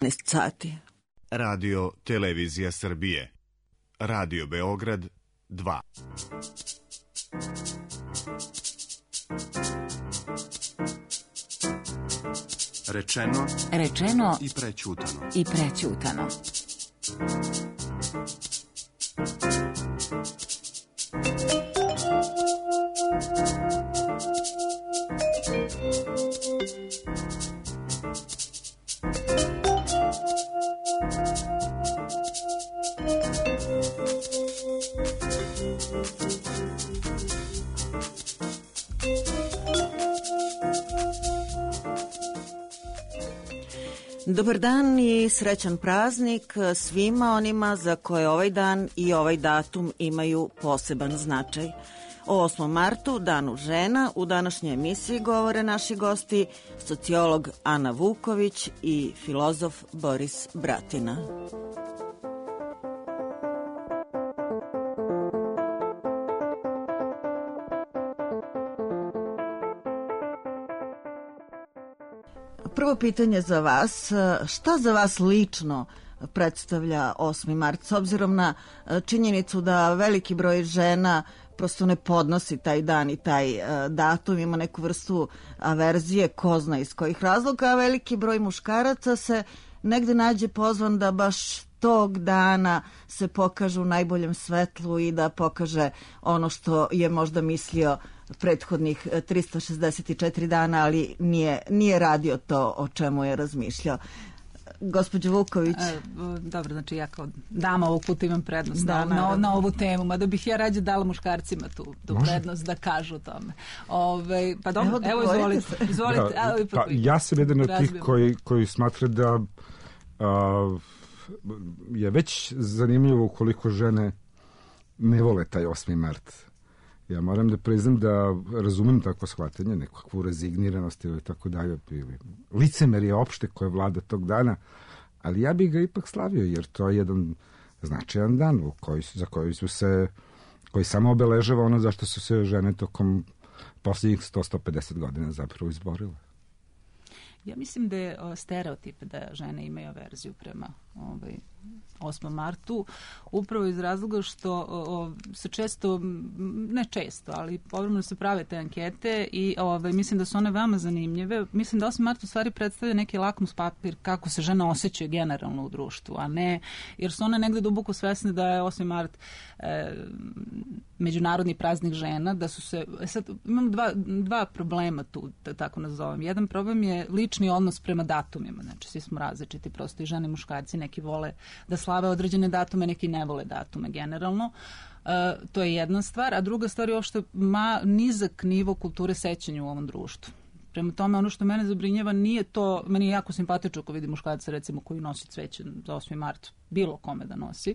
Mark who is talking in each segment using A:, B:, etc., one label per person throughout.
A: 15 sati.
B: Radio Televizija Srbije. Radio Beograd 2.
C: Rečeno
D: i prećutano.
A: Dobar dan i srećan praznik svima onima za koje ovaj dan i ovaj datum imaju poseban značaj. O 8. martu, danu žena, u današnjoj emisiji govore naši gosti, sociolog Ana Vuković i filozof Boris Bratina. Prvo pitanje za vas, šta za vas lično predstavlja 8. mart, s obzirom na činjenicu da veliki broj žena prosto ne podnosi taj dan i taj datum, ima neku vrstu averzije, ko zna iz kojih razloga, a veliki broj muškaraca se negde nađe pozvan da baš tog dana se pokaže u najboljem svetlu i da pokaže ono što je možda mislio prethodnih 364 dana, ali nije radio to o čemu je razmišljao. Gospođo Vuković.
E: Dobro, znači ja kao dama ovog puta imam prednost na ovu temu, mada bih ja rađe dala muškarcima tu prednost da kažu o tome. Pa dobro, evo izvolite.
F: Pa, ja sam jedan od tih koji smatra da je već zanimljivo koliko žene ne vole taj 8. mart. Ja moram da priznam da razumem takvo shvatanje, nekakvu rezigniranost ili tako dalje, licemerje opšte koje vlada tog dana, ali ja bih ga ipak slavio, jer to je jedan značajan dan koji samo obeležava ono zašto su se žene tokom posljednjih 100-150 godina zapravo izborile.
E: Ja mislim da je stereotip da žene imaju averziju prema 8. martu, upravo iz razloga što se često, ne često, ali povremeno se prave te ankete i mislim da su one veoma zanimljive. Mislim da 8. mart u stvari predstavlja neki lakmus papir kako se žene osjećaju generalno u društvu, a ne, jer su one negde duboko svesne da je 8. mart međunarodni praznik žena, da su se, sad imam dva problema tu, tako nazovem. Jedan problem je lični odnos prema datumima, znači svi smo različiti, prosto i žene i muškarci, neki vole da slave određene datume, neki ne vole datume generalno. To je jedna stvar, a druga stvar je uopšte nizak nivo kulture sećanja u ovom društvu. Prema tome, ono što mene zabrinjava nije to, meni je jako simpatično ako vidim muškarca recimo koji nosi cveće za 8. mart, bilo kome da nosi,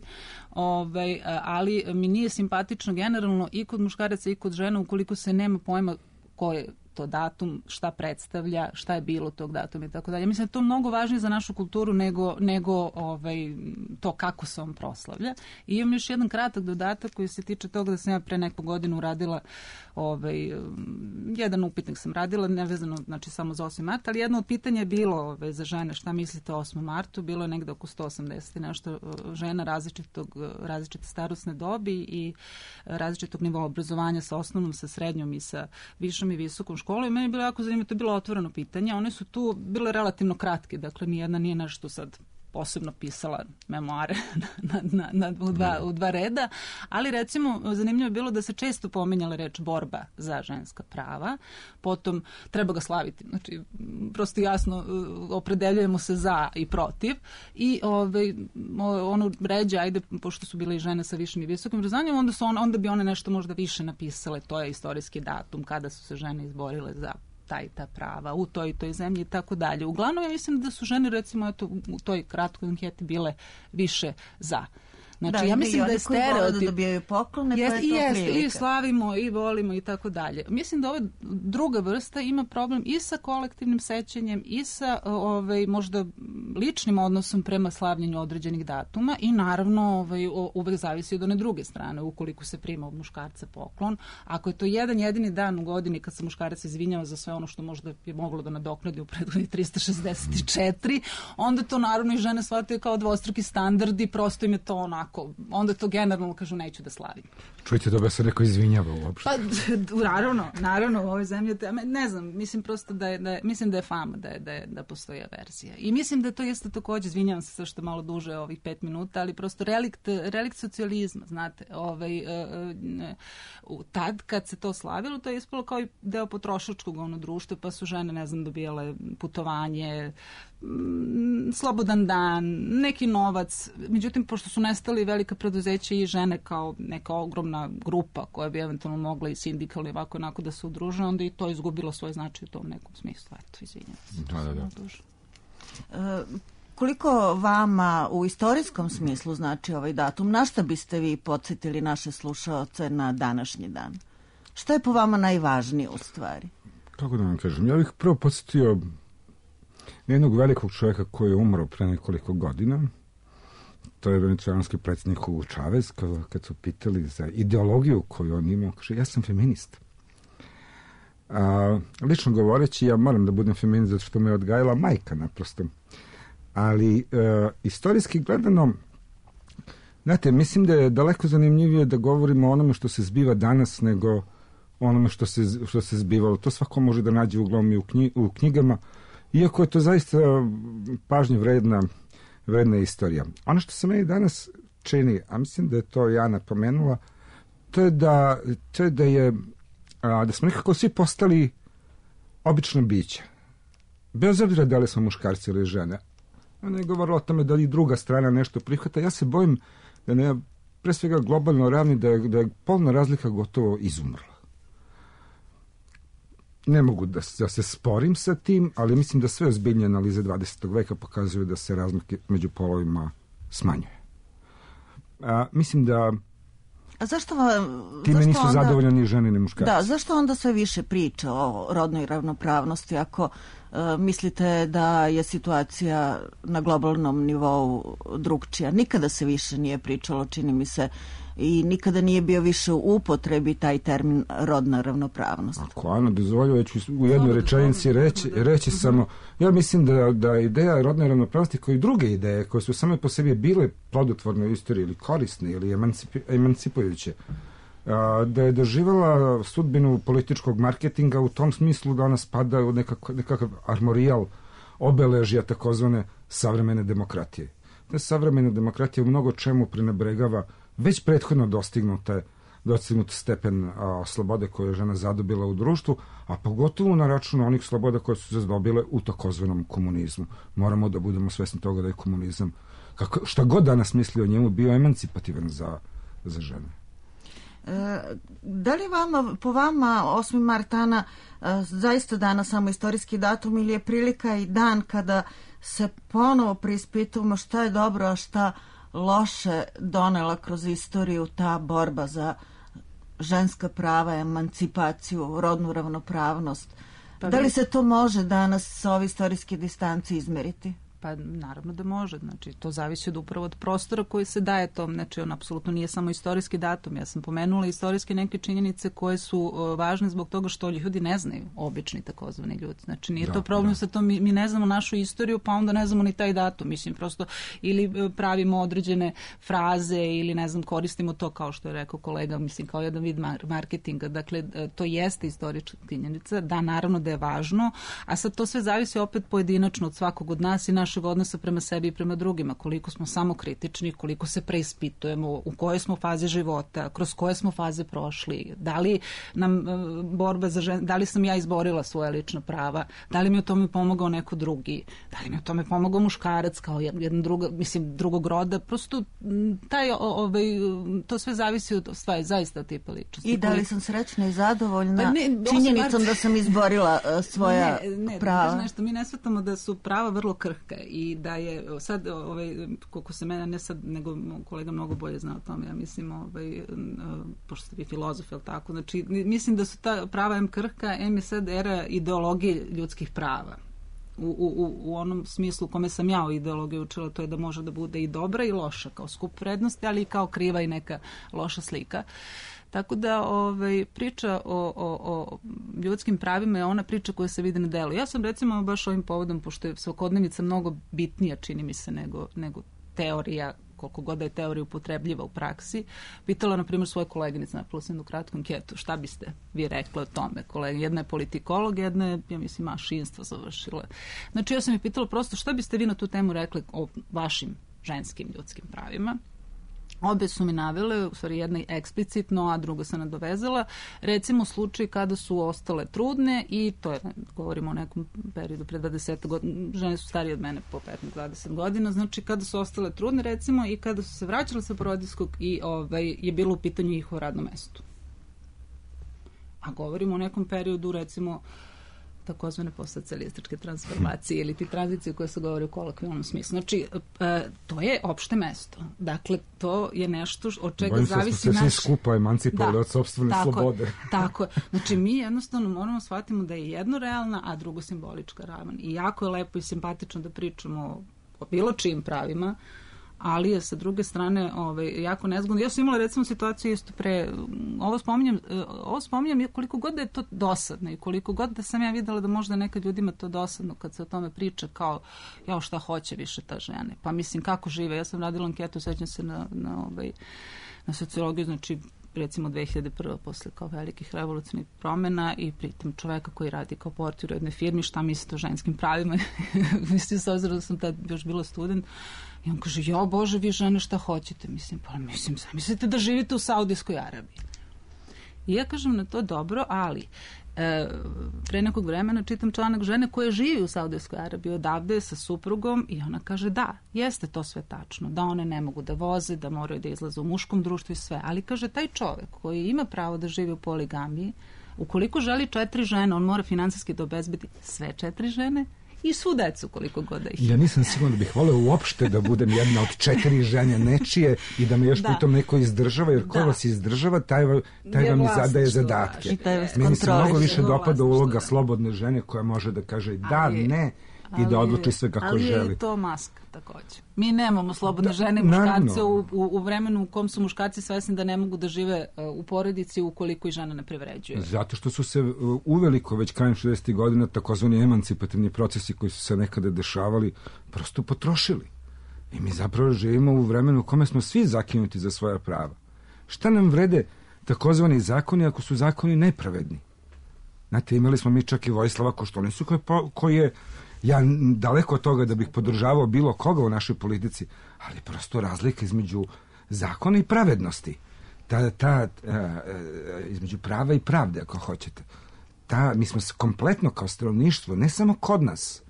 E: ali mi nije simpatično generalno i kod muškaraca i kod žena ukoliko se nema pojma ko je to datum, šta predstavlja, šta je bilo tog datuma i tako dalje. Mislim da je to mnogo važnije za našu kulturu nego to kako se on proslavlja. I imam još jedan kratak dodatak koji se tiče toga da sam ja pre neku godinu uradila jedan upitnik sam radila, nevezano znači samo za 8. mart, ali jedno od pitanja je bilo za žene šta mislite o 8. martu, bilo je negde oko 180 nešto žena različite starosne dobi i različitog nivoa obrazovanja sa osnovnom, sa srednjom i sa višom i visokom školom. I meni je bilo jako zanimljivo, to je bilo otvoreno pitanje, one su tu bile relativno kratke, dakle nijedna nije nešto sad posebno pisala memoare u dva reda, ali recimo zanimljivo je bilo da se često pominjala reč borba za ženska prava, potom treba ga slaviti, znači prosto jasno opredeljujemo se za i protiv i ono ređe, ajde, pošto su bile i žene sa višim i visokim obrazovanjem, onda bi one nešto možda više napisale, to je istorijski datum kada su se žene izborile za ta prava u toj zemlji i tako dalje. Uglavnom ja mislim da su žene recimo u toj kratkoj anketi bile više za. Znači, ja mislim da je stereotip.
A: Da dobijaju poklone,
E: jest,
A: pa je to prilika.
E: I slavimo, i volimo, i tako dalje. Mislim da ova druga vrsta ima problem i sa kolektivnim sećanjem, i sa možda ličnim odnosom prema slavljenju određenih datuma i naravno uvek zavisi od one druge strane, ukoliko se prima od muškarca poklon. Ako je to jedan jedini dan u godini kad se muškarac izvinjava za sve ono što možda je moglo da nadoknadi u prethodnih 364, onda to naravno i žene shvataju kao dvostruki standard i prosto im je to onako, onda to generalno kažu neću da slavim.
F: Čujte, da se neko izvinjava uopšte.
E: Pa, naravno, u ovoj zemlji, ne znam, mislim prosto mislim da je fama, da postoji averzija. I mislim da to jeste takođe, izvinjavam se sve što malo duže ovih 5 minuta, ali prosto relikt socijalizma, znate, tad kad se to slavilo, to je ispalo kao i deo potrošačkog društva, pa su žene, ne znam, dobijale putovanje, slobodan dan, neki novac. Međutim, pošto su nestali velika preduzeća i žene kao neka ogromna grupa koja bi eventualno mogla i sindikalno ovako onako da se udruže, onda i to izgubilo svoj značaj u tom nekom smislu. Eto, izvinjam se.
A: Koliko vama u istorijskom smislu znači ovaj datum? Na šta biste vi podsjetili naše slušaoce na današnji dan? Šta je po vama najvažnije u stvari?
F: Kako da vam kažem? Ja bih prvo podsjetio jednog velikog čovjeka koji je umro pre nekoliko godina. To je venecuelanski predsjednik Hugo Chavez, kad su pitali za ideologiju koju on imao, kaže, ja sam feminist. Lično govoreći, ja moram da budem feminist zato što me je odgajala majka naprosto. Ali istorijski gledano, znate, mislim da je daleko zanimljivije da govorimo o onome što se zbiva danas nego onome što se zbivalo. To svako može da nađe uglavnom i u knjigama, iako je to zaista pažnje vredna istorija. Ono što se meni danas čini, a mislim da je to Jana pomenula, to je da smo nekako svi postali obična bića. Bez obzira da li smo muškarci ili žene. Ona je govorila o tome da li druga strana nešto prihvata. Ja se bojim da ne, pre svega globalno ravni, da je polna razlika gotovo izumrla. Ne mogu da se sporim sa tim, ali mislim da sve ozbiljnije analize 20. veka pokazuju da se razlike među polovima smanjuje. Mislim da time nisu zadovoljni ni žene ni muškarci.
A: Da, zašto onda sve više priča o rodnoj ravnopravnosti ako mislite da je situacija na globalnom nivou drugčija? Nikada se više nije pričalo, čini mi se, i nikada nije bio više u upotrebi taj termin rodna ravnopravnost.
F: Ako Ana dozvoljuje, ću u jednoj rečenici reći samo, ja mislim da ideja rodne ravnopravnosti kao i druge ideje koje su same po sebi bile plodotvorne u istoriji ili korisne ili emancipujuće, da je doživala sudbinu političkog marketinga u tom smislu da ona spada u nekakav armorijal obeležja takozvane savremene demokratije. Da savremena demokratija u mnogo čemu prenebregava već prethodno dostignut stepen slobode koje je žena zadobila u društvu, a pogotovo na račun onih sloboda koje su se zadobile u takozvanom komunizmu. Moramo da budemo svesni toga da je komunizam, šta god danas misli o njemu, bio emancipativan za žene.
A: Da li po vama 8. mart, Ana, zaista danas samo istorijski datum ili je prilika i dan kada se ponovo preispitujemo šta je dobro, a šta loše donela kroz istoriju ta borba za ženska prava, emancipaciju, rodnu ravnopravnost? Da li se to može danas sa ove istorijske distance izmeriti?
E: Pa naravno da može, znači to zavisi upravo od prostora koji se daje tom, znači on apsolutno nije samo istorijski datum, ja sam pomenula istorijske neke činjenice koje su važne zbog toga što ljudi ne znaju, obični takozvani ljudi, znači nije to problem sa tom, mi ne znamo našu istoriju pa onda ne znamo ni taj datum, mislim prosto ili pravimo određene fraze ili ne znam koristimo to kao što je rekao kolega, mislim kao jedan vid marketinga, dakle to jeste istorijska činjenica, da naravno da je važno, a sad to sve zavisi opet pojedinačno od svakog od nas i našeg odnosa prema sebi i prema drugima, koliko smo samokritični, koliko se preispitujemo, u kojoj smo fazi života, kroz koje smo faze prošli, da li nam borba za žene, da li sam ja izborila svoja lična prava, da li mi u tome pomogao neko drugi, da li mi u tome pomogao muškarac kao jedan drugog roda, prosto to sve zavisi od stvari, zaista od tipa ličnosti.
A: I da li sam srećna i zadovoljna činjenicom da sam izborila svoja prava?
E: Nešto, mi ne shvatamo da su prava vrlo krhka I da je sad, koliko se mene, ne sad, nego kolega mnogo bolje zna o tome, ja mislim, pošto ste vi filozof, je li tako? Znači, mislim da su ta prava M krhka, M je sad era ideologije ljudskih prava. U onom smislu u kome sam ja o ideologiji učila, to je da može da bude i dobra i loša, kao skup vrednosti, ali i kao kriva i neka loša slika. Tako da priča o ljudskim pravima je ona priča koja se vidi na delu. Ja sam recimo baš ovim povodom, pošto je svakodnevnica mnogo bitnija, čini mi se, nego teorija, koliko god da je teorija upotrebljiva u praksi, pitala, na primjer, svoje koleginice, napravila sam jednu kratku anketu, šta biste vi rekli o tome? Jedna je politikolog, jedna je, ja mislim, mašinstvo završila. Znači, ja sam ih pitala prosto šta biste vi na tu temu rekli o vašim ženskim ljudskim pravima. Obe su mi navele, u stvari jedna eksplicitno, a druga se nadovezala, recimo slučaj kada su ostale trudne i to je, govorimo o nekom periodu pre 20 godina, žene su starije od mene po 15-20 godina, znači kada su ostale trudne recimo i kada su se vraćale sa porodilskog i je bilo u pitanju njihovo radno mesto. A govorimo o nekom periodu recimo takozvane postsocijalističke transformacije ili ti tranzicije koje se govori u kolokvijalnom smislu. Znači, to je opšte mesto. Dakle, to je nešto od čega zavisi naš...
F: Bojim se svi skupa emancipovali od sopstvene slobode.
E: Tako je. Znači, mi jednostavno moramo shvatimo da je jedno realna, a drugo simbolička ravan. I jako je lepo i simpatično da pričamo o bilo čijim pravima, ali je sa druge strane jako nezgodno. Ja sam imala recimo situaciju isto pre, ovo spominjam koliko god da je to dosadno i koliko god da sam ja videla da možda nekad ljudima to dosadno kad se o tome priča kao šta hoće više ta žene. Pa mislim kako žive. Ja sam radila anketu, sećam se na sociologiju, znači recimo 2001. posle kao velikih revolucionarnih promjena i pritom čoveka koji radi kao portir u jednoj firmi, šta mislite o ženskim pravima? Mislim, s obzirom da sam tad još bila student, i on kaže, jo Bože, vi žene šta hoćete? Mislim, mislite da živite u Saudijskoj Arabiji. I ja kažem na to dobro, ali pre nekog vremena čitam članak žene koja živi u Saudijskoj Arabiji odavde sa suprugom i ona kaže da, jeste to sve tačno, da one ne mogu da voze, da moraju da izlaze u muškom društvu i sve, ali kaže taj čovek koji ima pravo da živi u poligamiji, ukoliko želi 4 žene, on mora finansijski da obezbedi sve 4 žene i svu decu koliko god da ih ima.
F: Ja nisam siguran da bih voleo uopšte da budem jedna od 4 žene nečije i da me još pritom neko izdržava, jer ko vas izdržava, taj vam i zadaje zadatke. Meni se mnogo više dopada uloga slobodne žene koja može da kaže da, ne i da odluči sve kako želi.
E: Ali je to maska također. Mi nemamo slobodne žene i muškarce u vremenu u kom su muškarci svesni da ne mogu da žive u porodici ukoliko i žena ne privređuje.
F: Zato što su se uveliko već krajem 60. godina takozvani emancipativni procesi koji su se nekada dešavali prosto potrošili. I mi zapravo živimo u vremenu u kome smo svi zakinuti za svoja prava. Šta nam vrede takozvani zakoni ako su zakoni nepravedni? Znate, imali smo mi čak i Vojislava Koštunicu koji je ja daleko od toga da bih podržavao bilo koga u našoj politici, ali prosto razlika između zakona i pravednosti. Između prava i pravde, ako hoćete. Mi smo se kompletno kao stanovništvo, ne samo kod nas,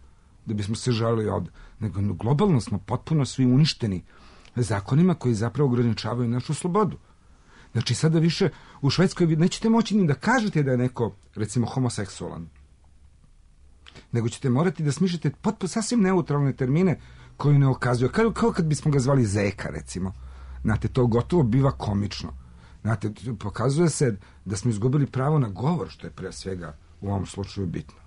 F: da bismo se žalili ovdje, nego globalno smo potpuno svi uništeni zakonima koji zapravo ograničavaju našu slobodu. Znači, sada više u Švedskoj nećete moći ni da kažete da je neko, recimo, homoseksualan, nego ćete morati da smišljate sasvim neutralne termine koji ne okazuju. Kao kad bismo ga zvali zeka, recimo. Znate, to gotovo biva komično. Znate, pokazuje se da smo izgubili pravo na govor, što je pre svega u ovom slučaju bitno.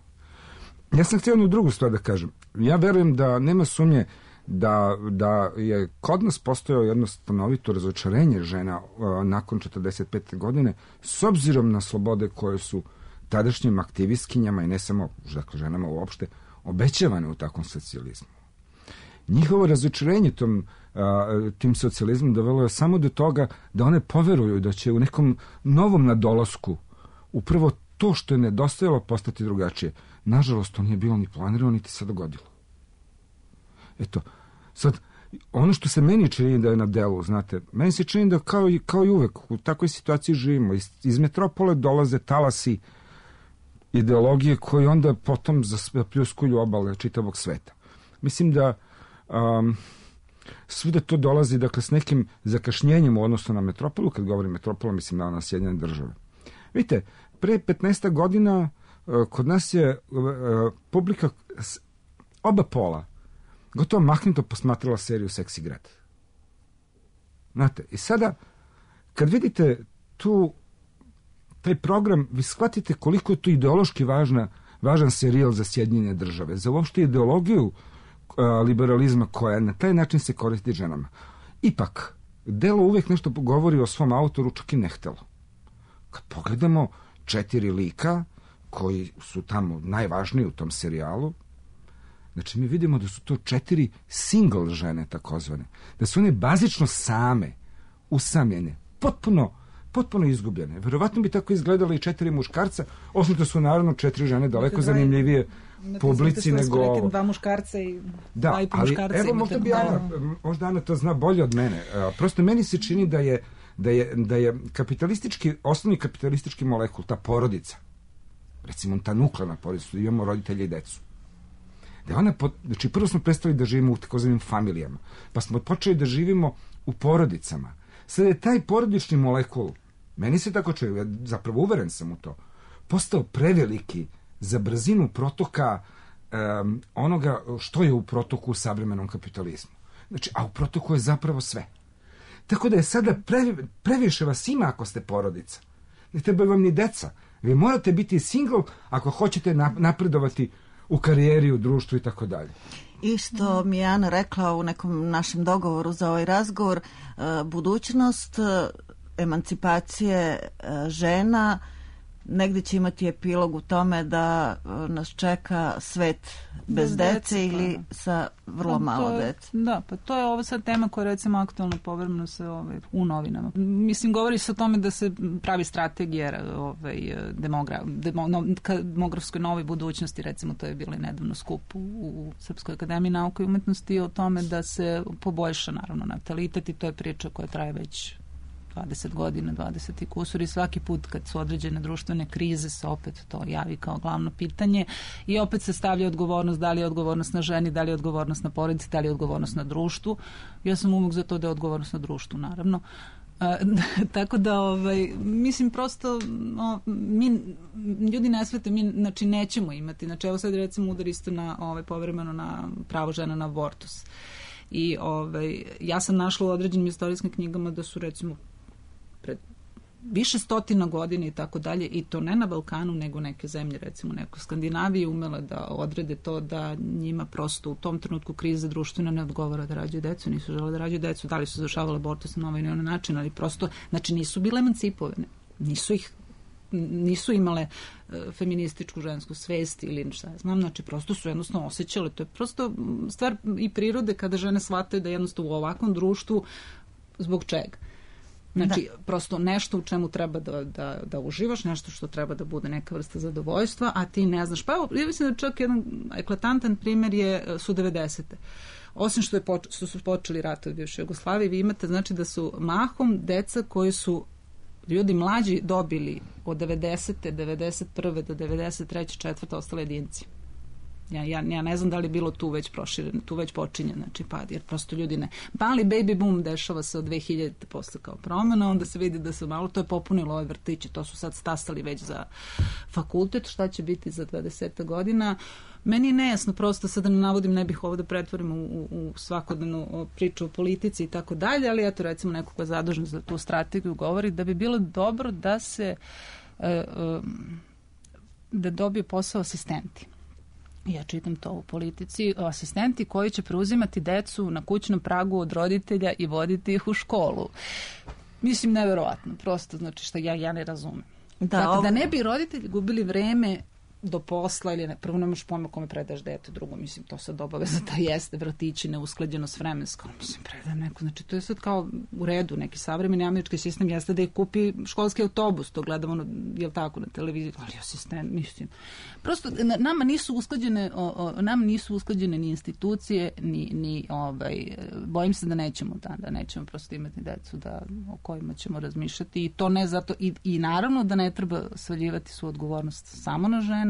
F: Ja sam htio jednu drugu stvar da kažem. Ja verujem da nema sumnje da je kod nas postojao jedno stanovito razočarenje žena nakon 45. godine, s obzirom na slobode koje su tadašnjim aktivistkinjama i ne samo ženama uopšte obećavane u takvom socijalizmu. Njihovo razočarenje tim socijalizmom dovelo je samo do toga da one poveruju da će u nekom novom nadolasku upravo to što je nedostajalo postati drugačije. Nažalost, to nije bilo ni planirano, niti se dogodilo. Eto, sad, ono što se meni čini da je na delu, znate, meni se čini da kao i uvek u takvoj situaciji živimo. Iz metropole dolaze talasi ideologije koje onda potom zapljuskuju obale čitavog sveta. Mislim da svuda to dolazi, dakle, s nekim zakašnjenjem u odnosu na metropolu. Kad govorim metropola, mislim na Sjedinjene Države. Vidite, pre 15 godina kod nas je publika oba pola gotovo mahnuto posmatrala seriju Seksi grad. Znate, i sada, kad vidite taj program, vi shvatite koliko je to ideološki važan serijal za Sjedinjene države, za uopšte ideologiju liberalizma koja na taj način se koristi ženama. Ipak, delo uvijek nešto govori o svom autoru, čak i nehtelo. Kad pogledamo 4 lika koji su tamo najvažniji u tom serijalu, znači mi vidimo da su to 4 single žene takozvane, da su one bazično same, usamljene, potpuno izgubljene. Verovatno bi tako izgledalo i 4 muškarca, osim da su naravno 4 žene daleko zanimljivije publici nego ovo.
E: 2 muškarca i 2 i po
F: ali
E: muškarca.
F: Evo, možda Ana to zna bolje od mene. Prosto meni se čini da je osnovni kapitalistički molekul, ta porodica, recimo ta nuklearna porodica, da imamo roditelje i decu. Znači, prvo smo prestali da živimo u takozvanim familijama, pa smo počeli da živimo u porodicama. Sada je taj porodični molekul, meni se tako čuje, ja zapravo uveren sam u to, postao preveliki za brzinu protoka onoga što je u protoku u savremenom kapitalizmu. Znači, a u protoku je zapravo sve. Tako da je sada previše vas ima ako ste porodica. Ne treba vam ni deca. Vi morate biti single ako hoćete napredovati u karijeri, u društvu i tako dalje.
A: I što mi je Ana rekla u nekom našem dogovoru za ovaj razgovor, budućnost emancipacije žena negdje će imati epilog u tome da nas čeka svet bez dece ili sa vrlo malo dece.
E: Da, pa to je ovo sad tema koja je recimo aktualno povremeno se u novinama. Mislim, govori se o tome da se pravi strategija demografskoj novoj budućnosti, recimo to je bilo i nedavno skup u Srpskoj akademiji nauke i umetnosti o tome da se poboljša naravno natalitet i to je priča koja traje već 20 godina, 20 i kusur i svaki put kad su određene društvene krize se opet to javi kao glavno pitanje i opet se stavlja odgovornost, da li je odgovornost na ženi, da li je odgovornost na porodici, da li je odgovornost na društvu. Ja sam uvijek za to da je odgovornost na društvu, naravno. Tako da, mislim, prosto mi, ljudi ne svete, mi, znači, nećemo imati. Znači, evo sad recimo udar isto na, povremeno na pravo žena na abortus. I ja sam našla u određenim istorijskim knjigama da su recimo pred više stotina godina i tako dalje, i to ne na Balkanu, nego neke zemlje, recimo neko Skandinavije, umele da odrede to da njima prosto u tom trenutku krize društvena ne odgovara da rađaju decu, nisu žele da rađaju decu, da li su završavale abortus na ovaj ili onaj način, ali prosto, znači nisu bile emancipovane, nisu imale feminističku žensku svest ili šta ja znam, znači prosto su jednostavno osjećale, to je prosto stvar i prirode kada žene shvataju da jednostavno u ovakvom društvu zbog čega. Znači, prosto nešto u čemu treba da uživaš, nešto što treba da bude neka vrsta zadovoljstva, a ti ne znaš. Pa evo, ja mislim da čak jedan eklatantan primjer su 90. Osim što su počeli ratovi u bivšoj Jugoslaviji, vi imate, znači, da su mahom deca koji su ljudi mlađi dobili od 90. 91. do 93. 4. ostale jedinci. Ja ne znam da li je bilo tu već prošireno, tu već počinje, znači pad, jer prosto ljudi ne. Mali baby boom dešava se od 2000. posle kao promjena, onda se vidi da se malo to je popunilo ove vrtiće, to su sad stasali već za fakultet, šta će biti za 20 godina. Meni je nejasno, prosto sad da ne navodim, ne bih ovo da pretvorim u svakodnevnu priču o politici i tako dalje, ali eto recimo neko ko je zadužen za tu strategiju govori da bi bilo dobro da se da dobije posao asistenti. Ja čitam to u politici, asistenti koji će preuzimati decu na kućnom pragu od roditelja i voditi ih u školu. Mislim, neverovatno, prosto, znači što ja ne razumem. Da ne bi roditelji gubili vreme do posla ili ne, prvo nemaš pojma kome predaš dete, drugo, mislim, to sad obaveza da jeste, vratići neusklađeno s vremenskom, mislim, predajem neko, znači to je sad kao u redu, neki savremeni američki sistem jeste da ih kupi školski autobus, to gledamo, jel tako, na televiziji, ali asistent, mislim, prosto, nama nisu usklađene ni institucije, ni bojim se da nećemo prosto imati decu o kojima ćemo razmišljati i to ne zato, i naravno da ne treba svaljivati su odgovornost samo na žene,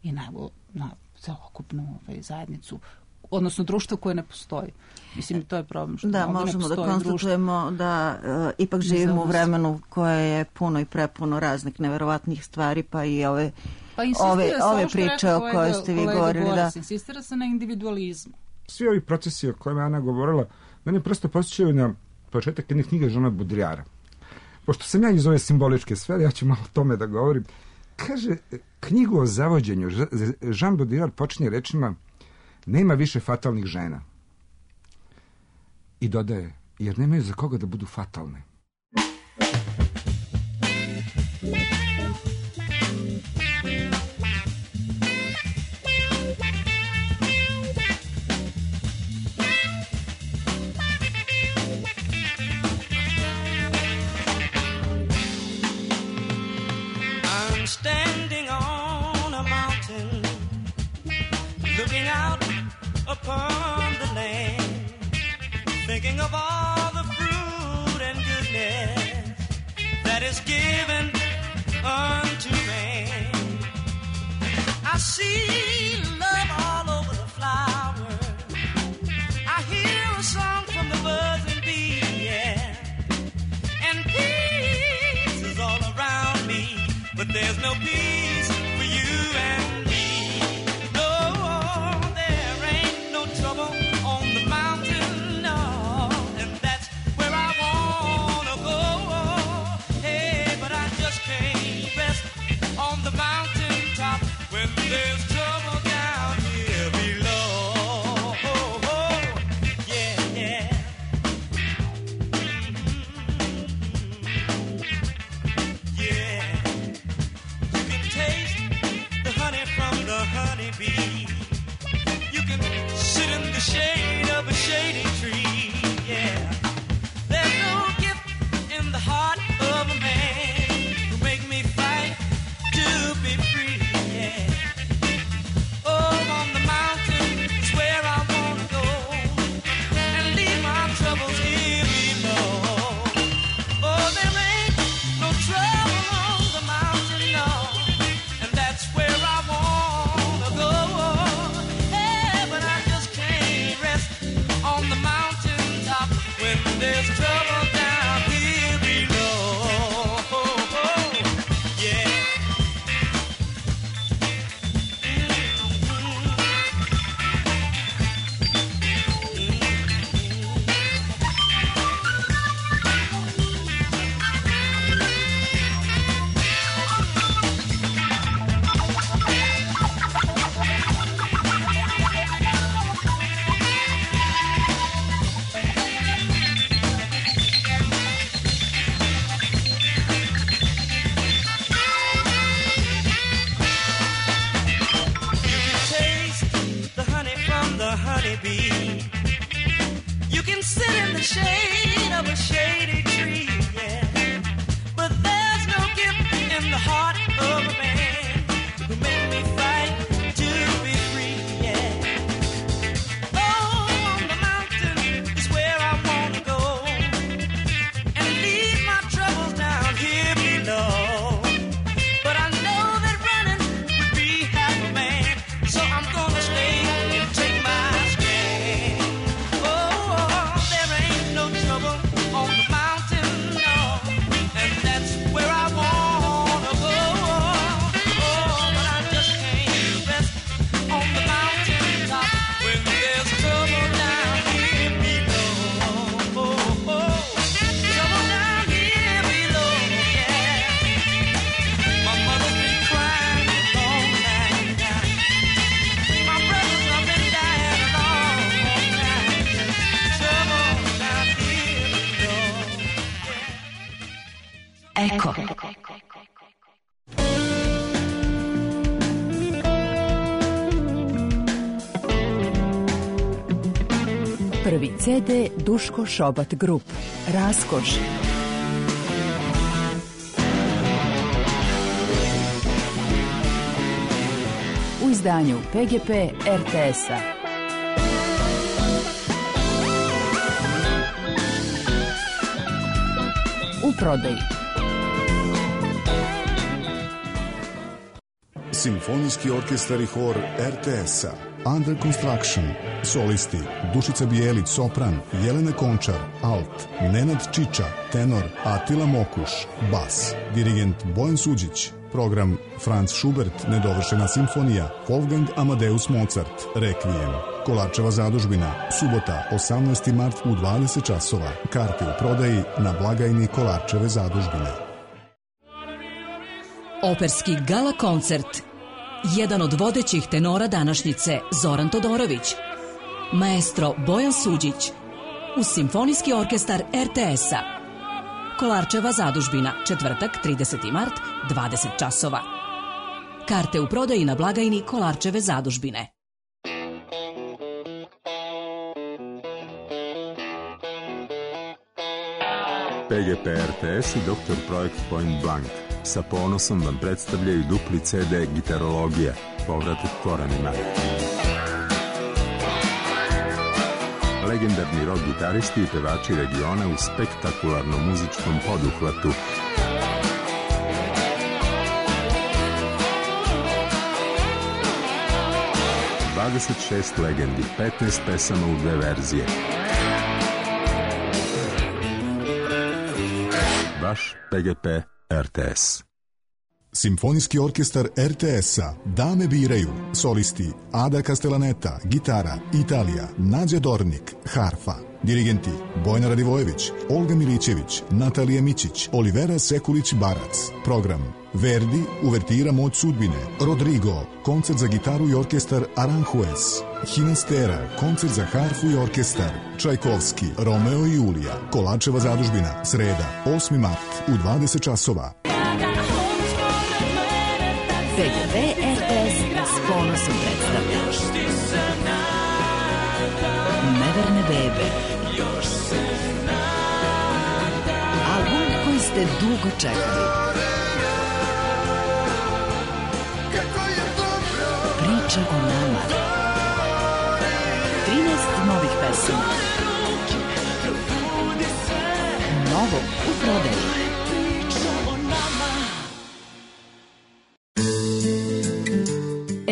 E: i na celokupnu zajednicu, odnosno društvo koje ne postoji. Mislim, to je problem što
A: da, možemo da konstatujemo da ipak živimo u vremenu koje je puno i prepuno raznih neverovatnih stvari, pa i ove priče o kojoj ste vi govorili.
E: Insistira se na individualizmu.
F: Svi ovi procesi o kojima je Ana govorila, mene prosto posjećaju na početak jedne knjige Jeana Baudrillarda. Pošto sam ja iz ove simboličke sfere, ja ću malo o tome da govorim. Kaže, knjigu o zavođenju Jean Baudrillard počinje rečima: nema više fatalnih žena. I dodaje, jer nemaju za koga da budu fatalne.
C: Standing on a mountain, looking out upon the land, thinking of all the fruit and goodness that is given unto man. I see love all over the flowers, I hear a song from the birds and bees, yeah, and peace is all around me. But there's no peace for you and me. No, there ain't no trouble on the mountain, no. And that's where I wanna go. Hey, but I just can't rest on the mountain top when there's trouble down here below. Yeah, yeah. Yeah. Taste the honey from the honeybee. You can sit in the shade of a shady tree. Yeah, there's no gift in the heart of a man who make me fight to be free. Yeah, oh, on the mountain is where I wanna go and leave my troubles here below. Oh, there ain't no trouble on the mountain, no. Where I wanna go, hey, but I just can't rest on the mountain top when there's trouble down here below. Yeah. You can sit in the shade of a shady tree, yeah. But there's no gift in the heart of a man who made me fight to be free, yeah. Oh, on the mountain is where I wanna go and leave my troubles down here below. But I know that running would be half a man, so I'm gonna stay and take my on the mountain, no, and that's where I wanna go. Oh, but I just can't rest on the mountain top when there's trouble down here below. Trouble down here below, yeah. My mother's been crying a long time. My brothers have been dying a long time. Trouble down here below.
D: Eko. Prvi CD Duško Šobat Grup. Raskoš. U izdanju PGP RTS-a. U prodaji.
G: Simfonijski orkestar i hor RTS-a. Under Construction. Solisti Dušica Bijelić, sopran, Jelena Končar, alt, Nenad Čiča, tenor, Atila Mokuš, bas, dirigent Bojan Suđić. Program Franz Schubert, nedovršena simfonija, Wolfgang Amadeus Mozart, Requiem. Kolarčeva zadužbina, subota 18. mart u 20 časova. Karte u prodaji na blagajni Kolarčeve zadužbine.
H: Operski gala koncert. Jedan od vodećih tenora današnjice, Zoran Todorović. Maestro Bojan Suđić. Uz Simfonijski orkestar RTS-a. Kolarčeva zadužbina, četvrtak, 30. mart, 20 časova. Karte u prodaji na blagajni Kolarčeve zadužbine.
I: PGP RTS i Dr. Projekt Point Blank sa ponosom vam predstavljaju dupli CD Gitarologija, povratak korenima. Legendarni rock gitaristi i pevači regiona u spektakularnom muzičkom poduhvatu. ...26 legendi, 15 pesama u 2 verzije. Vaš PGP RTS.
G: Simfonijski orkestar RTS-a Dame biraju. Solisti Ada Castellaneta, gitara, Italija, Nađa Dornik, harfa. Dirigenti Bojana Radivojević, Olga Milićević, Natalija Mićić, Olivera Sekulić-Barac. Program Verdi, uvertira Moć sudbine. Rodrigo, koncert za gitaru i orkestar Aranjuez. Hinastera, koncert za harfu i orkestar. Čajkovski, Romeo i Julija. Kolarčeva zadužbina, sreda, 8. mart u 20 časova.
D: PGP RTS s ponosom predstavlja Neverne bebe. Album koji ste dugo čekali. Priča o nama. 13 novih pesama. Novo u prodaji.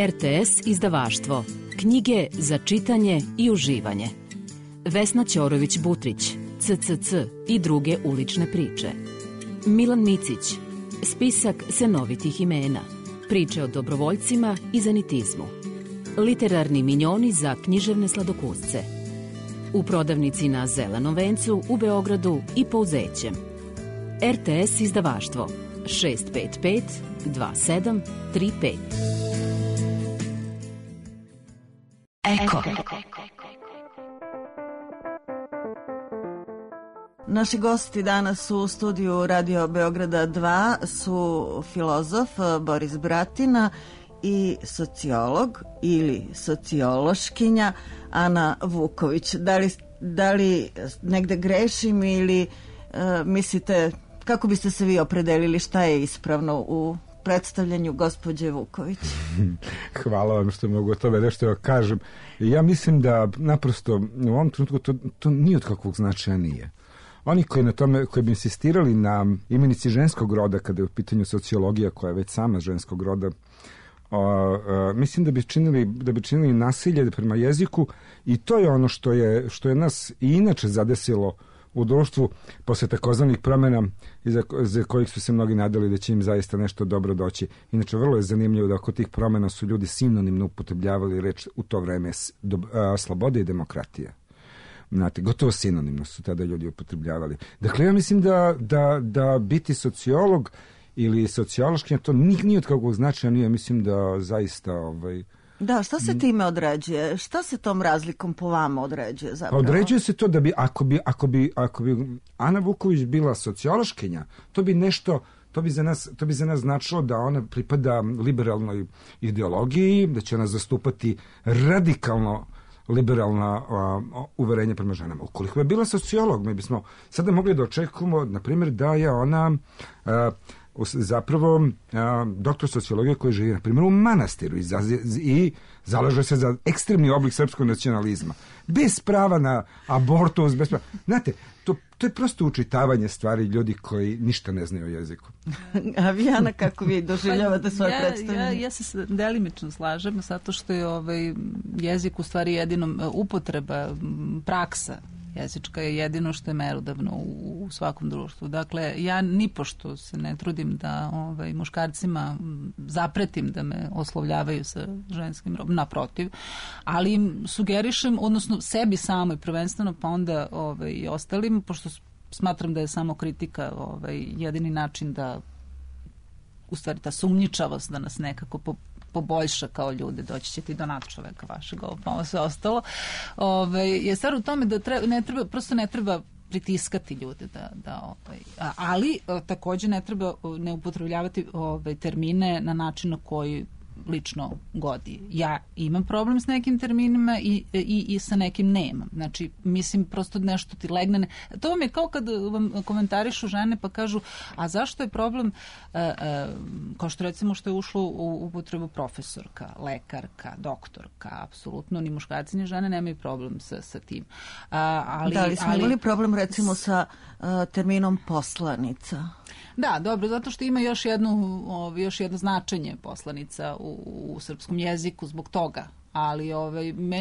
D: RTS izdavaštvo. Knjige za čitanje i uživanje. Vesna Ćorović-Butrić, CCC i druge ulične priče. Milan Micić, spisak senovitih imena. Priče o dobrovoljcima i zanitizmu. Literarni minjoni za književne sladokusce. U prodavnici na Zelenom vencu u Beogradu i Pouzećem. RTS izdavaštvo 655 2735. Eko.
A: Naši gosti danas u studiju Radio Beograda 2 su filozof Boris Bratina i sociolog ili sociološkinja Ana Vuković. Da li negde grešim ili mislite, kako biste se vi opredelili, šta je ispravno u predstavljanju gospođe Vuković?
F: Hvala vam što mogu o tome nešto kažem. Ja mislim da naprosto u ovom trenutku to nije od kakvog značaja nije. Oni koji bi insistirali na imenici ženskog roda kada je u pitanju sociologija koja je već sama ženskog roda, mislim da bi činili nasilje prema jeziku i to je ono što je nas i inače zadesilo u društvu posle takozvanih promjena za kojih su se mnogi nadali da će im zaista nešto dobro doći. Inače, vrlo je zanimljivo da oko tih promjena su ljudi sinonimno upotrebljavali reč u to vreme slobode i demokratija. Znate, gotovo sinonimno su tada ljudi upotrebljavali. Dakle, ja mislim da biti sociolog ili sociološkinja, to nije od kakvog značaja nije. Mislim da zaista...
A: Da, šta se time određuje? Šta se tom razlikom po vama određuje zapravo?
F: Određuje se to da bi, ako bi Ana Vuković bila sociološkinja, to bi za nas značilo da ona pripada liberalnoj ideologiji, da će ona zastupati radikalno liberalna uverenja prema ženama. Ukoliko je bila sociolog, mi bismo sada mogli da očekujemo, na primjer, da je ona zapravo doktor sociologije koji živi, na primjer, u manastiru i zalaže se za ekstremni oblik srpskog nacionalizma. Bez prava na abortus, bez prava. Znate, to je prosto učitavanje stvari ljudi koji ništa ne znaju o jeziku.
A: A vi, Ana, kako vi doživljavate svoje predstavljanje?
E: Ja se delimično slažem, zato što je jezik u stvari jedino upotreba, praksa Jezička je jedino što je merodavno u svakom društvu. Dakle, ja nipošto se ne trudim da muškarcima zapretim da me oslovljavaju sa ženskim rodom, naprotiv, ali im sugerišem, odnosno sebi samoj prvenstveno, pa onda i ostalim, pošto smatram da je samo kritika jedini način da, u stvari, ta sumnjičavost da nas nekako poboljša kao ljude, doći ćete i do nadčoveka vašeg, pa ovo sve ostalo, je stvar u tome da prosto ne treba pritiskati ljude ali takođe ne treba ne upotrebljavati termine na način na koji lično godi. Ja imam problem s nekim terminima i sa nekim nemam. Znači, mislim, prosto nešto ti legne. To vam je kao kad vam komentarišu žene pa kažu, a zašto je problem, kao što recimo što je ušlo u upotrebu profesorka, lekarka, doktorka, apsolutno, ni muškarci ni žene nemaju problem sa tim.
A: Ali smo imali problem recimo sa terminom poslanica.
E: Da, dobro, zato što ima još jedno značenje poslanica u srpskom jeziku zbog toga, ali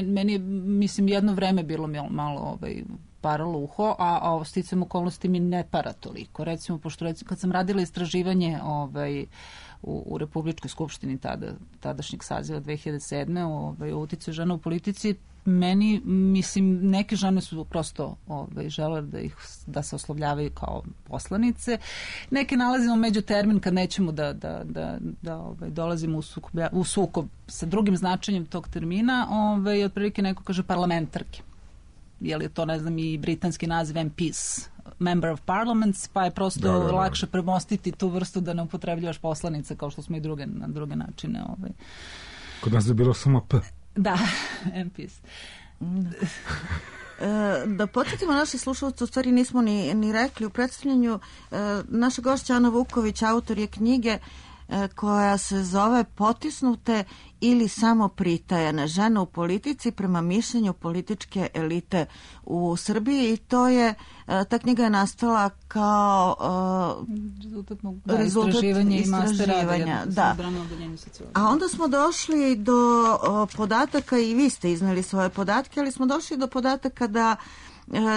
E: meni je, mislim, jedno vreme bilo malo paralo uho, a sticajem okolnosti mi ne para toliko. Recimo, pošto kad sam radila istraživanje u Republičkoj skupštini tadašnjeg saziva 2007. O uticaju žena u politici, meni, mislim, neke žene su prosto žele da se oslovljavaju kao poslanice. Neke nalazimo među termin kad nećemo da dolazimo u sukob sa drugim značenjem tog termina. Otprilike neko kaže parlamentarke. Je li to, ne znam, i britanski naziv MPs, Member of Parliaments, pa je prosto lakše premostiti tu vrstu da ne upotrebljavaš poslanica kao što smo i na druge načine.
F: Kod nas je bilo samo P.
E: Da, MPs.
A: Da podsjetimo naše slušalce, u stvari nismo ni rekli u predstavljanju, naša gošća Ana Vuković autor je knjige koja se zove Potisnute ili samo pritajene žene u politici prema mišljenju političke elite u Srbiji, i to je, ta knjiga je nastala kao rezultat istraživanja. Da. A onda smo došli do podataka, i vi ste izneli svoje podatke, ali smo došli do podataka da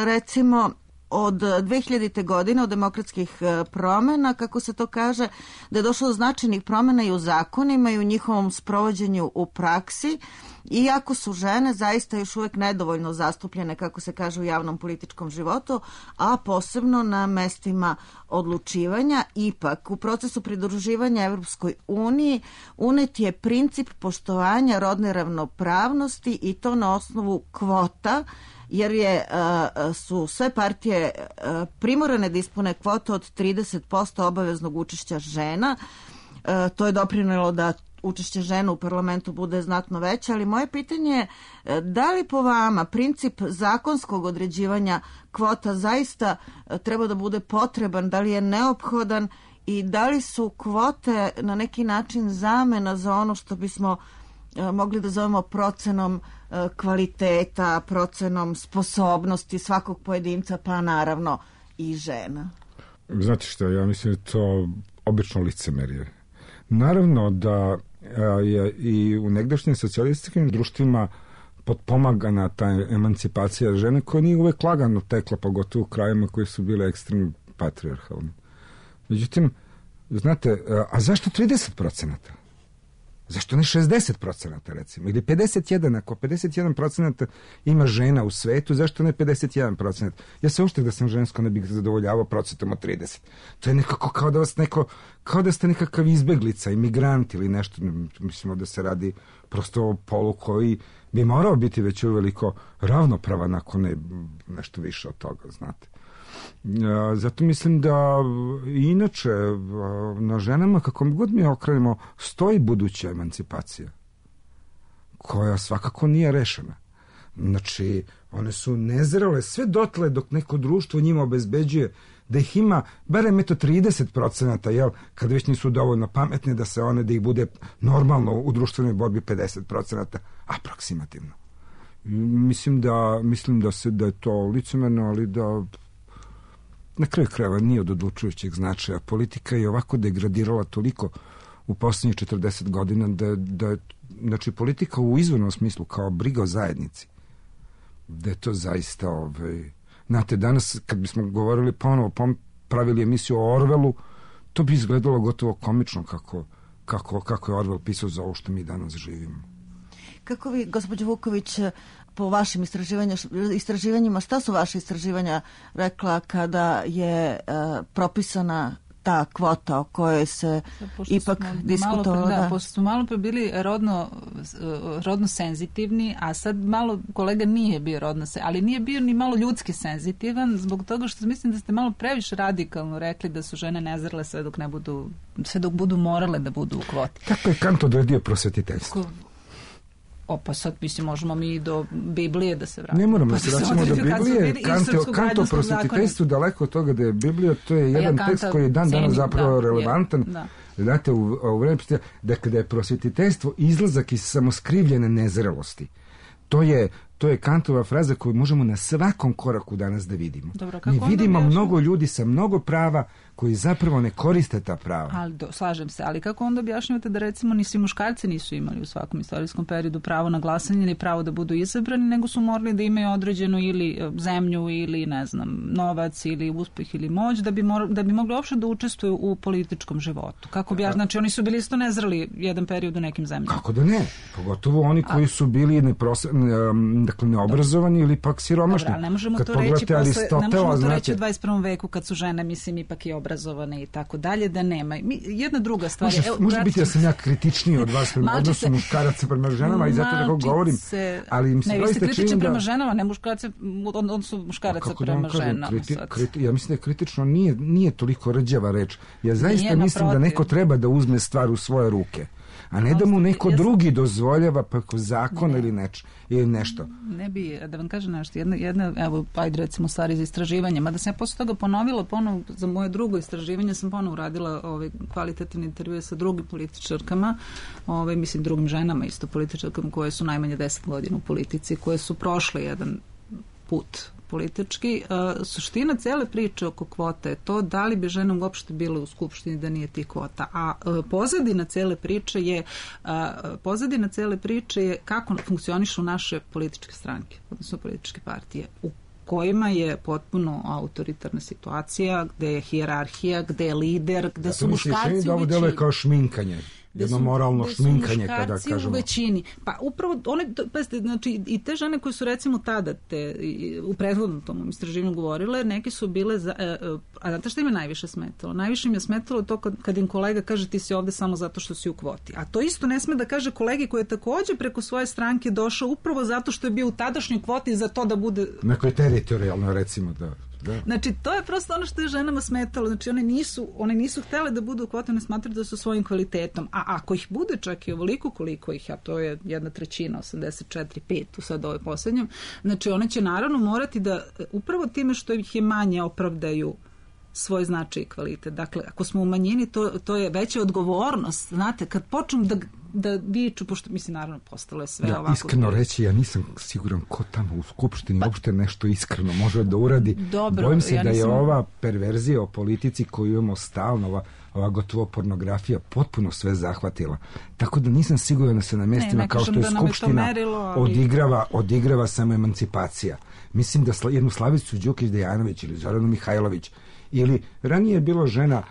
A: recimo od 2000. godine, od demokratskih promena, kako se to kaže, da je došlo do značajnih promena i u zakonima i u njihovom sprovođenju u praksi, iako su žene zaista još uvek nedovoljno zastupljene, kako se kaže, u javnom političkom životu, a posebno na mestima odlučivanja. Ipak, u procesu pridruživanja Evropskoj uniji unet je princip poštovanja rodne ravnopravnosti, i to na osnovu kvota, jer su sve partije primorane da ispune kvotu od 30% obaveznog učešća žena. To je doprinelo da učešće žena u parlamentu bude znatno veće, ali moje pitanje je da li po vama princip zakonskog određivanja kvota zaista treba da bude potreban, da li je neophodan i da li su kvote na neki način zamena za ono što bismo mogli da zovemo procenom kvaliteta, procenom sposobnosti svakog pojedinca, pa naravno i žena?
F: Znate što, ja mislim da je to obično licemerje. Naravno da je i u negdašnjim socijalističkim društvima potpomagana ta emancipacija žene, koja nije uvek lagano tekla, pogotovo u krajima koji su bile ekstremno patrijarhalni. Međutim, znate, a zašto 30%? Zašto ne 60% recimo? Ili 51%? Ako 51% ima žena u svetu, zašto ne 51%? Ja se uopšte da sam žensko ne bih zadovoljavao procentom od 30%. To je nekako kao da ste nekakav izbeglica, imigrant ili nešto. Mislimo da se radi prosto o polu koji bi morao biti već uveliko ravnopravan, ako ne nešto više od toga, znate. Zato mislim da inače na ženama, kako god mi okrenemo, stoji buduća emancipacija, koja svakako nije rešena. Znači, one su nezrele sve dotle dok neko društvo njima obezbeđuje da ih ima barem 30%, jel, kad već nisu dovoljno pametne da ih bude normalno u društvenoj borbi 50%, aproksimativno. Mislim da je to licemerno, ali da na kraju krajeva nije od odlučujućeg značaja. Politika je ovako degradirala toliko u poslednjih 40 godina da znači politika u izvornom smislu kao briga o zajednici, da je to zaista Znate, danas kad bismo govorili ponovo, pravili emisiju o Orwellu, to bi izgledalo gotovo komično kako je Orwell pisao za ovo što mi danas živimo.
A: Kako vi, gospođo Vuković, po vašim istraživanjima, šta su vaše istraživanja rekla kada je propisana ta kvota o kojoj se ipak diskutovalo?
E: Pošto smo malo pre bili rodno senzitivni, a sad malo kolega nije bio rodno senzitivni, ali nije bio ni malo ljudski senzitivan, zbog toga što mislim da ste malo previše radikalno rekli da su žene nezrele sve dok budu morale da budu u kvoti.
F: Kako je Kant odredio prosvetiteljstvo?
E: Pa sad možemo mi i do Biblije da se vratimo.
F: Ne moramo da se vraćamo do Biblije. Kant o prosvetiteljstvu daleko od toga da je Biblija, to je jedan tekst koji je dan danas zapravo relevantan. Znate, u vreme da kada je prosvetiteljstvo izlazak iz samoskrivljene nezrelosti, to je Kantova fraza koju možemo na svakom koraku danas da vidimo. Mi vidimo mnogo ljudi sa mnogo prava koji zapravo ne koriste ta prava.
E: Slažem se, ali kako onda objašnjavate da recimo ni svi muškarci nisu imali u svakom istorijskom periodu pravo na glasanje ili pravo da budu izabrani, nego su morali da imaju određenu ili zemlju ili ne znam, novac ili uspeh ili moć da bi mogli uopšte da učestvuju u političkom životu. Znači oni su bili isto nezreli jedan period u nekim zemljama.
F: Kako da ne? Pogotovo oni koji su bili neobrazovani ili pak siromašni.
E: Dobro, ali ne možemo to reći u 21. veku kad su žene, mislim, ipak i obrazovane i tako dalje, da nema. Jedna druga stvar je...
F: Može biti da sam ja kritičniji od vas prema odnosu muškaraca prema ženama i zato tako govorim. Ali mi se
E: ne, vi ste kritični prema ženama, ne muškarce, odnosno muškaraca prema ženama.
F: Ja mislim da je kritično nije toliko rđava reč. Ja zaista mislim da neko treba da uzme stvar u svoje ruke, a ne da mu neko drugi dozvoljava preko zakona ili nešto.
E: Ne bi, da vam kažem nešto, jedna evo, ajde recimo stvari za istraživanje, mada sam ja posle toga ponovila za moje drugo istraživanje, sam ponovo uradila kvalitativne intervjue sa drugim političarkama, mislim drugim ženama isto političarkama koje su najmanje 10 godina u politici, koje su prošle jedan put politički. Suština cele priče oko kvota je to da li bi žena uopšte bila u Skupštini da nije tih kvota. A pozadina cele priče je kako funkcionišu naše političke stranke, odnosno političke partije, u kojima je potpuno autoritarna situacija, gde je hijerarhija, gde je lider, gde su muškarci u većini.
F: Ovo deluje kao šminkanje. Jedno moralno šminkanje, kada kažemo.
E: U većini. Pa upravo znači i te žene koje su recimo tada u prethodnom tom istraživanju govorile, neke su bile a znate šta im je najviše smetalo? Najviše im je smetalo to kad im kolega kaže ti si ovde samo zato što si u kvoti. A to isto ne sme da kaže kolegi koji je takođe preko svoje stranke došao upravo zato što je bio u tadašnjoj kvoti za to da bude...
F: Neko je teritorijalno, recimo, da.
E: Znači, to je prosto ono što je ženama smetalo. Znači, one nisu htjele da budu u kvoti, one smatraju da su svojim kvalitetom. A ako ih bude čak i ovoliko koliko ih, a to je 1/3, 84,5 u sad ovoj posljednjom, znači one će naravno morati da upravo time što ih je manje opravdaju svoj značaj i kvalitet. Dakle, ako smo u manjini, to je veća odgovornost. Znate, kad počnu da viču, pošto mislim, naravno, postalo je sve ovako.
F: Iskreno reći, ja nisam siguran ko tamo u Skupštini uopšte nešto iskreno može da uradi.
E: Dobro,
F: bojim se da je ova perverzija o politici koju imamo stalno, ova gotovo pornografija potpuno sve zahvatila. Tako da nisam siguran da se na mjestima kao što je Skupština odigrava samo emancipacija. Mislim da jednu Slavicu Đukić-Dejanović ili Zoranu Mihajlović ili ranije je bilo žena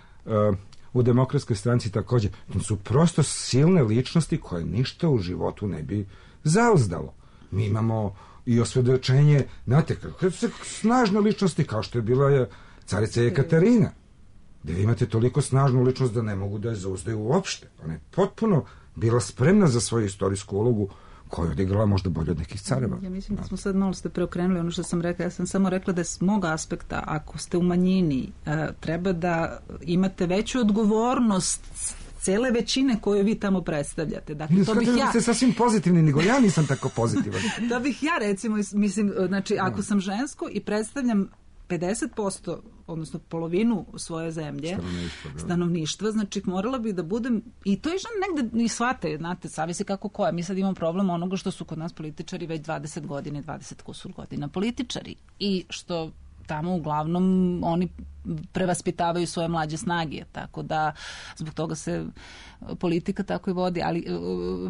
F: u Demokratskoj stranci također. To su prosto silne ličnosti koje ništa u životu ne bi zauzdalo. Mi imamo i osvjedočenje, znate, snažne ličnosti kao što je bila carica Jekaterina, gdje imate toliko snažnu ličnost da ne mogu da je zauzdaju uopšte. Ona je potpuno bila spremna za svoju istorijsku ulogu koju je odigrala možda bolje od nekih careva.
E: Ja mislim da smo sad malo ste preokrenuli ono što sam rekla. Ja sam samo rekla da je s mog aspekta, ako ste u manjini, treba da imate veću odgovornost cele većine koju vi tamo predstavljate. Dakle, to bih ja...
F: ste sasvim pozitivni, nego ja nisam tako pozitivan.
E: To bih ja, recimo, mislim, znači, ako sam žensko i predstavljam 50%, odnosno polovinu svoje zemlje, stanovništva, znači morala bi da budem, i to je žena negde i shvate, znate, zavisi kako koja. Mi sad imamo problem onoga što su kod nas političari već 20 godina i 20 kusur godina političari i što tamo uglavnom oni prevaspitavaju svoje mlađe snage, tako da zbog toga se politika tako i vodi, ali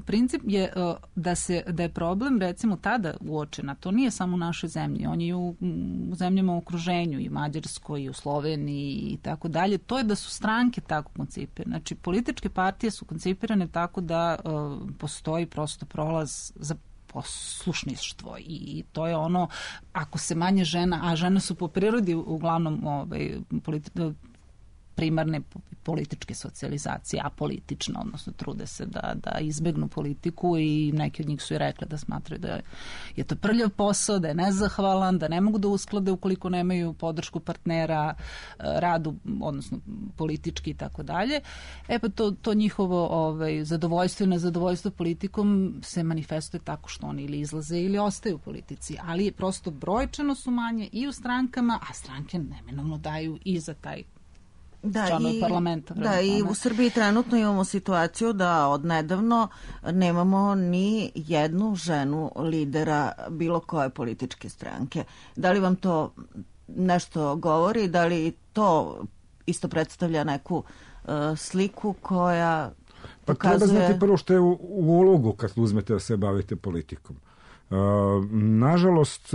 E: princip je da je problem recimo tada uočena, to nije samo u našoj zemlji, on je u zemljama u okruženju, i Mađarskoj, i u Sloveniji i tako dalje, to je da su stranke tako koncipirane. Znači, političke partije su koncipirane tako da postoji prosto prolaz za poslušništvo i to je ono, ako se manje žena, a žene su po prirodi uglavnom primarne političke socijalizacije, apolitično, odnosno trude se da izbegnu politiku i neki od njih su i rekli da smatraju da je to prljav posao, da je nezahvalan, da ne mogu da usklade ukoliko nemaju podršku partnera, radu, odnosno politički i tako dalje. Pa to njihovo zadovoljstvo i nezadovoljstvo politikom se manifestuje tako što oni ili izlaze ili ostaju u politici, ali prosto brojčano su manje i u strankama, a stranke neminovno daju i za taj parlamenta.
A: Da, i u Srbiji trenutno imamo situaciju da odnedavno nemamo ni jednu ženu lidera bilo koje političke stranke. Da li vam to nešto govori? Da li to isto predstavlja neku sliku koja pokazuje...
F: Treba znati prvo što je u ulogu kad uzmete da se bavite politikom. Nažalost,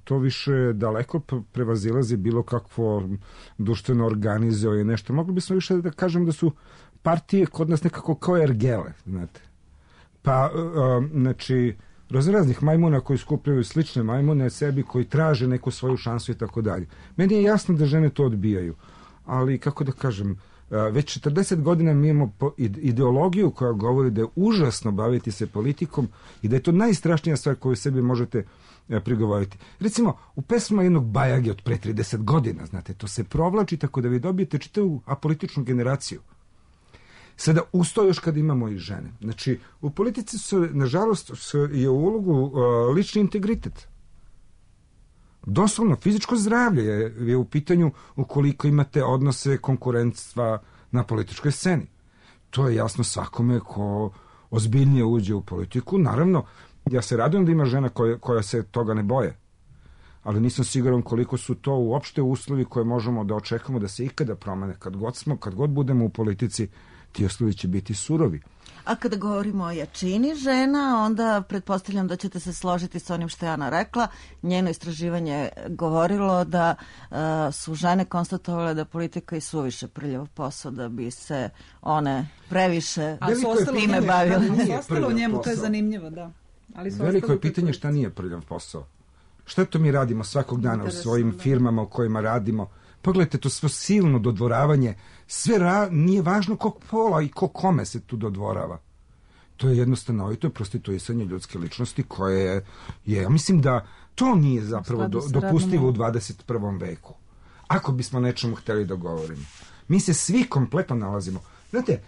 F: to više daleko prevazilazi bilo kakvo društveno organizuje nešto. Mogli bismo više da kažem da su partije kod nas nekako kao ergele, znate. Pa, znači, raznih majmuna koji skupljaju slične majmune sebi, koji traže neku svoju šansu i tako dalje. Meni je jasno da žene to odbijaju, ali kako da kažem, već 40 godina mi imamo ideologiju koja govori da je užasno baviti se politikom i da je to najstrašnija stvar koju sebi možete prigovoriti. Recimo, u pesma jednog Bajage od pre 30 godina, znate, to se provlači tako da vi dobijete čitavu apolitičnu generaciju. Sada, usto još kad imamo i žene. Znači, u politici nažalost, je u ulogu lični integritet. Doslovno, fizičko zdravlje je u pitanju ukoliko imate odnose konkurentstva na političkoj sceni. To je jasno svakome ko ozbiljnije uđe u politiku. Naravno, ja se radujem da ima žena koja se toga ne boje, ali nisam siguran koliko su to uopšte uslovi koje možemo da očekamo da se ikada promene. Kad god budemo u politici, ti uslovi će biti surovi.
A: A kada govorimo o jačini žena, onda pretpostavljam da ćete se složiti sa onim što je Ana rekla. Njeno istraživanje je govorilo da su žene konstatovale da politika je suviše prljav posao, da bi se one previše time bavile.
E: Ostalo u njemu, to je zanimljivo, da.
F: Veliko je pitanje šta nije prljav posao. Šta to mi radimo svakog dana u svojim firmama u kojima radimo? Pogledajte to svo silno dodvoravanje, nije važno kog pola i kome se tu dodvorava. To je jednostavno, i to je prostituisanje ljudske ličnosti koje je, ja mislim da to nije zapravo dopustivo u 21. veku. Ako bismo nečemu hteli da govorimo. Mi se svi kompletno nalazimo. Znate,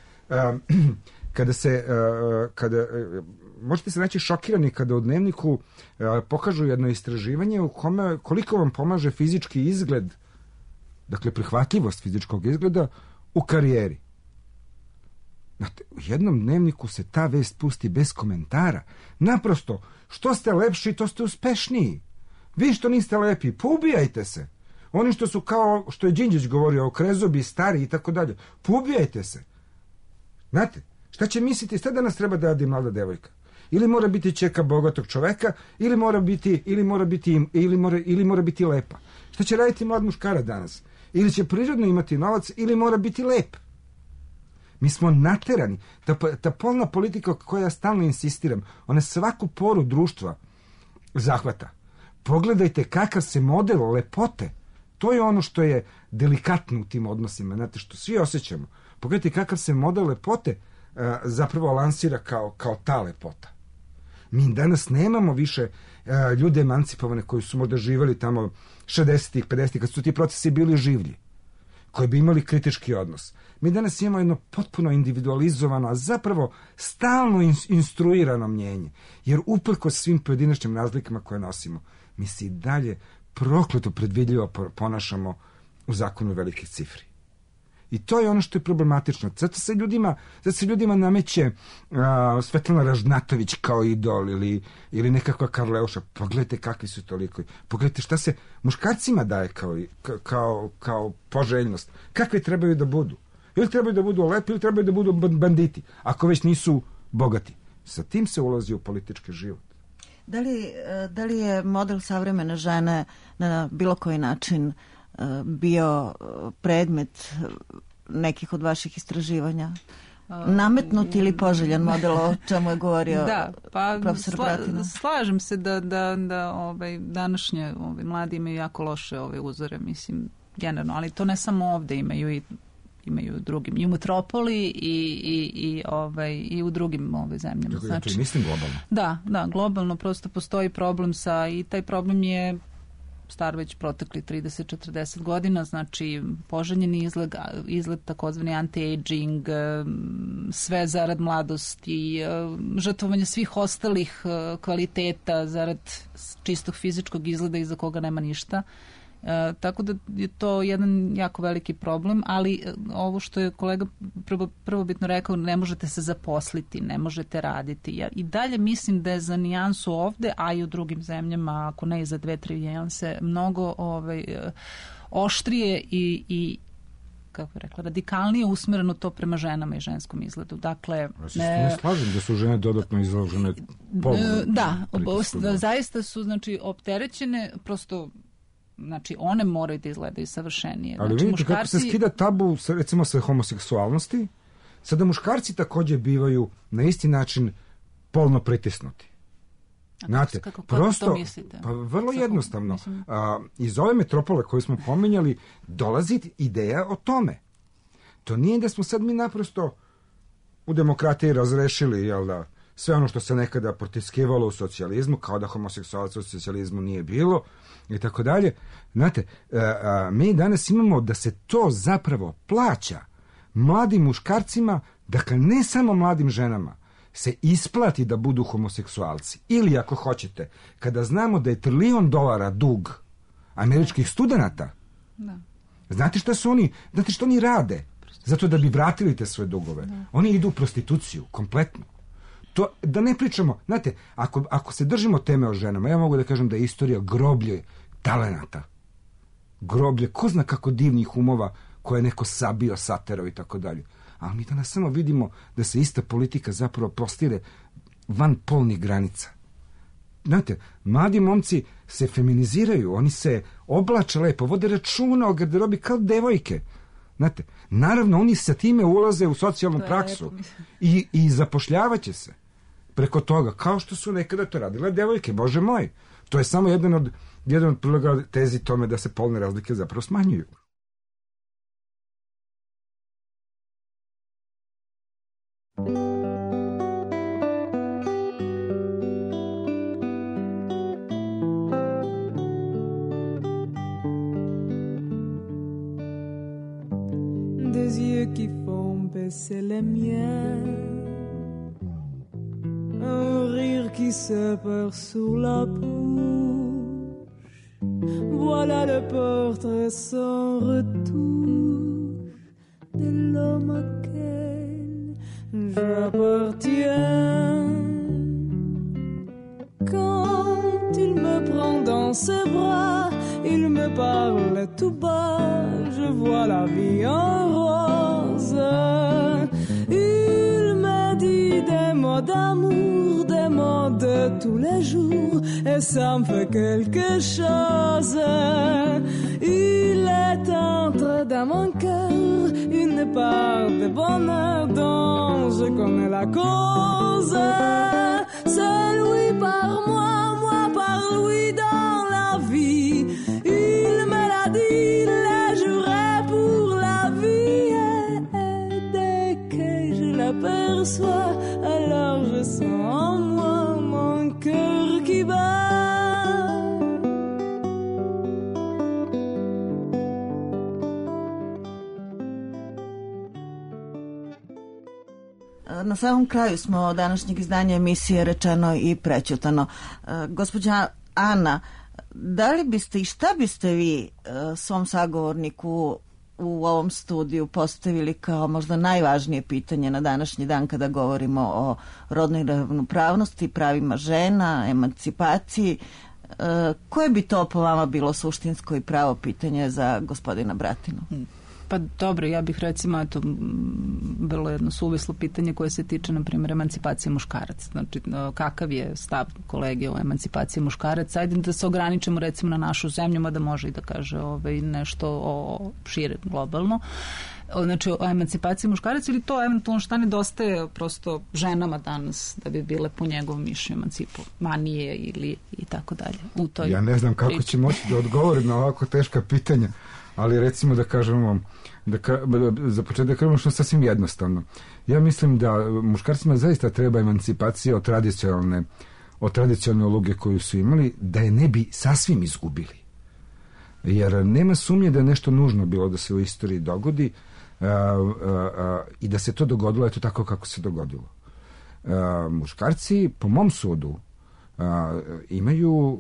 F: možete se naći šokirani kada u Dnevniku pokažu jedno istraživanje u kome koliko vam pomaže fizički izgled, dakle prihvatljivost fizičkog izgleda u karijeri. Znate, u jednom Dnevniku se ta vest pusti bez komentara. Naprosto, što ste lepši, to ste uspešniji. Vi što niste lepi, poubijajte se. Oni što su kao, što je Đinđić govorio, okrezobi, stari i tako dalje, poubijajte se. Znate, šta će misliti, šta da nas treba da radi mlada devojka? Ili mora biti ćerka bogatog čoveka, ili mora biti lepa. Šta će raditi mlad muškarac danas? Ili će prirodno imati novac, ili mora biti lep. Mi smo naterani. Ta polna politika koja ja stalno insistiram, ona svaku poru društva zahvata. Pogledajte kakav se model lepote. To je ono što je delikatno u tim odnosima, znate, što svi osjećamo. Pogledajte kakav se model lepote zapravo lansira kao ta lepota. Mi danas nemamo više ljude emancipovane koji su možda živjeli tamo 60-ih, 50-ih, kad su ti procesi bili življi, koji bi imali kritički odnos. Mi danas imamo jedno potpuno individualizovano, a zapravo stalno instruirano mnjenje, jer uprkos svim pojedinačnim razlikama koje nosimo, mi se i dalje prokleto predvidljivo ponašamo u zakonu velikih cifri. I to je ono što je problematično. Zato se ljudima nameće Svetlana Ražnatović kao idol ili nekakva Karleuša. Pogledajte kakvi su toliko. Pogledajte šta se muškarcima daje kao poželjnost. Kakve trebaju da budu? Ili trebaju da budu lepi ili trebaju da budu banditi, ako već nisu bogati. Sa tim se ulazi u politički život.
A: Da li je model savremene žene na bilo koji način bio predmet nekih od vaših istraživanja? Nametnut ili poželjan model, o čemu je govorio profesor Bratina?
E: Slažem se da današnje mladi imaju jako loše uzore, mislim, generalno, ali to ne samo ovde, imaju u drugim, i u metropoli i u drugim zemljama.
F: Znači, mislim globalno.
E: Da, globalno prosto postoji problem i taj problem je star već protekli 30-40 godina, znači poželjeni izgled takozvani anti-aging, sve zarad mladosti, žrtvovanje svih ostalih kvaliteta zarad čistog fizičkog izgleda iza koga nema ništa. Tako da je to jedan jako veliki problem, ali ovo što je kolega prvobitno rekao, ne možete se zaposliti, ne možete raditi. Ja i dalje mislim da je za nijansu ovde, a i u drugim zemljama, ako ne i za 2-3 nijanse, mnogo oštrije i kako bih rekla, radikalnije usmereno to prema ženama i ženskom izgledu. Dakle,
F: ja se ne slažem da su žene dodatno izložene
E: zaista su, znači, opterećene, prosto, znači, one moraju da izgledaju savršenije.
F: Ali
E: znači,
F: vidite kako se skida tabu, recimo, sa homoseksualnosti, sada muškarci takođe bivaju na isti način polno pritisnuti. Znate, prosto,
E: to mislite?
F: Pa vrlo jednostavno. Iz ove metropole koju smo pominjali dolazi ideja o tome. To nije da smo sad mi naprosto u demokratiji razrešili, jel da, sve ono što se nekada protiskivalo u socijalizmu, kao da homoseksualaca u socijalizmu nije bilo, i tako dalje. Znate, mi danas imamo da se to zapravo plaća mladim muškarcima, dakle ne samo mladim ženama, se isplati da budu homoseksualci. Ili ako hoćete, kada znamo da je $1 trilion dug američkih studenata, znate što oni rade? Zato da bi vratili te svoje dugove. Oni idu u prostituciju, kompletno. To, da ne pričamo, znate, ako se držimo teme o ženama, ja mogu da kažem da je istorija groblje talenata. Groblje, ko zna kako divnih umova koje je neko sabio, saterao i tako dalje. Ali mi danas samo vidimo da se ista politika zapravo prostire van polnih granica. Znate, mladi momci se feminiziraju, oni se oblače lepo, vode računa o garderobi kao devojke. Znate, naravno, oni sa time ulaze u socijalnu praksu i zapošljavaće se preko toga, kao što su nekada to radile devojke, bože moj. To je samo jedan od priloga tezi tome da se polne razlike zapravo smanjuju.
J: Des yeux qui font baisser les miens, un rire qui se perd sous la bouche, voilà le portrait sans retouche de l'homme auquel j'appartiens. Quand il me prend dans ses bras, il me parle tout bas, je vois la vie en rose. Il me dit des mots d'amour, des mots de tous les jours, et ça me fait quelque chose. Il est entré dans mon cœur une part de bonheur dont je connais la cause. C'est lui par moi, moi par lui dans la vie. Il me l'a dit, le jurait pour la vie. Et dès que je l'aperçois, alors je sens en moi mon cœur qui bat.
A: Na samom kraju smo današnjeg izdanja emisije Rečeno i prećutano. Gospođa Ana, da li biste i šta biste vi svom sagovorniku u ovom studiju postavili kao možda najvažnije pitanje na današnji dan kada govorimo o rodnoj ravnopravnosti, pravima žena, emancipaciji. Koje bi to po vama bilo suštinsko i pravo pitanje za gospodina Bratinu?
E: Pa dobro, ja bih recimo bilo jedno suvislo pitanje koje se tiče, na primjer, emancipacije muškaraca. Znači, kakav je stav kolege o emancipaciji muškaraca? Ajde da se ograničimo recimo na našu zemlju, mada može i da kaže nešto o šire globalno. Znači, o emancipaciji muškaraca, ili to eventualno šta nedostaje prosto ženama danas da bi bile po njegovom mišljenju emancipovanije ili i tako dalje.
F: Ja ne znam kako će moći da odgovorim na ovako teška pitanja, ali recimo da kažem vam, za početak da kažemo što je sasvim jednostavno. Ja mislim da muškarcima zaista treba emancipacija od tradicionalne uloge koju su imali, da je ne bi sasvim izgubili. Jer nema sumnje da je nešto nužno bilo da se u istoriji dogodi i da se to dogodilo eto tako kako se dogodilo. Muškarci, po mom sudu, imaju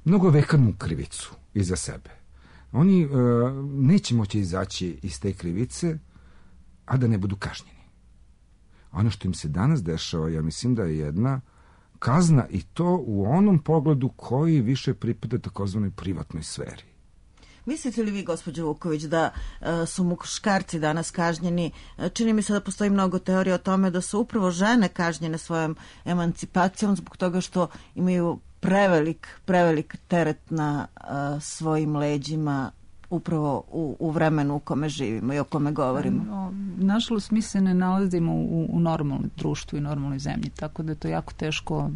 F: mnogo vekarnu krivicu iza sebe. Oni neće moći izaći iz te krivice, a da ne budu kažnjeni. Ono što im se danas dešava, ja mislim da je jedna kazna, i to u onom pogledu koji više pripada takozvanoj privatnoj sferi.
A: Mislite li vi, gospođo Vuković, da su muškarci danas kažnjeni? Čini mi se da postoji mnogo teorija o tome da su upravo žene kažnjene svojom emancipacijom zbog toga što imaju prevelik teret na svojim leđima upravo u vremenu u kome živimo i o kome govorimo.
E: Nažalost, mi se ne nalazimo u normalnom društvu i normalnoj zemlji, tako da je to jako teško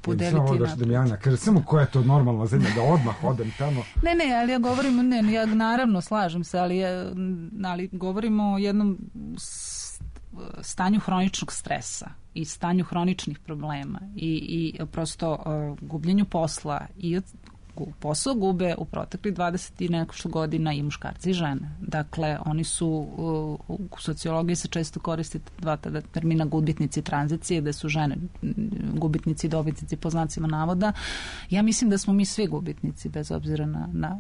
E: podeliti.
F: Samo da Damjana kaže, samo koja je to normalna zemlja, da odmah odem tamo.
E: Ne, ali ja govorim, ja naravno slažem se, ali govorimo o jednom stanju hroničnog stresa i stanju hroničnih problema i prosto gubljenju posla i posao gube u proteklih 20 i nešto godina i muškarci i žene. Dakle, oni su, u sociologiji se često koristi dva tada termina gubitnici tranzicije, da su žene gubitnici i dobitnici po znacima navoda. Ja mislim da smo mi svi gubitnici, bez obzira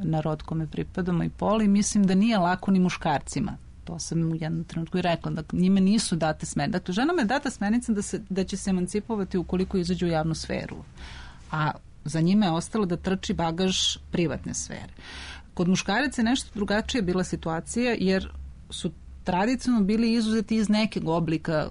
E: na rod kome pripadamo i pol, i mislim da nije lako ni muškarcima. To sam u jednom trenutku i rekla, da njime nisu date smernice. Dakle, ženama je data smernica da će se emancipovati ukoliko izađu u javnu sferu. A za njime je ostalo da trči bagaž privatne sfere. Kod muškaraca je nešto drugačije bila situacija, jer su tradicionalno bili izuzeti iz nekog oblika